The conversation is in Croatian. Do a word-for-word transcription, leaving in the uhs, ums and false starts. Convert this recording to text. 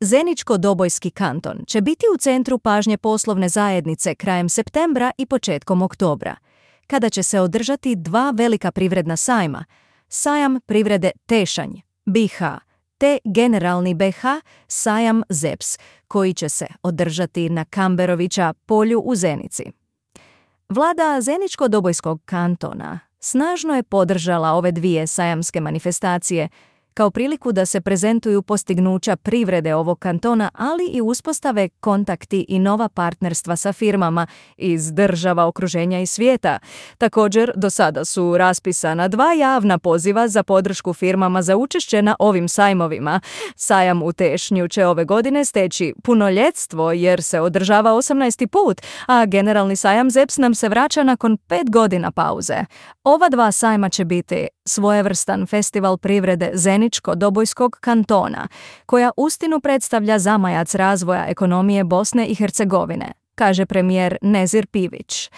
Zeničko-Dobojski kanton će biti u centru pažnje poslovne zajednice krajem septembra i početkom oktobra, kada će se održati dva velika privredna sajma, sajam privrede Tešanj, B i H, te generalni B i H, sajam Z E P S, koji će se održati na Kamberovića polju u Zenici. Vlada Zeničko-Dobojskog kantona snažno je podržala ove dvije sajamske manifestacije kao priliku da se prezentuju postignuća privrede ovog kantona, ali i uspostave kontakti i nova partnerstva sa firmama iz država, okruženja i svijeta. Također, do sada su raspisana dva javna poziva za podršku firmama za učešće na ovim sajmovima. Sajam u Tešnju će ove godine steći punoljetstvo jer se održava osamnaesti put, a generalni sajam Z E P S nam se vraća nakon pet godina pauze. Ova dva sajma će biti svojevrstan festival privrede Zeničko-Dobojskog kantona, koja uistinu predstavlja zamajac razvoja ekonomije Bosne i Hercegovine, kaže premijer Nezir Pivić.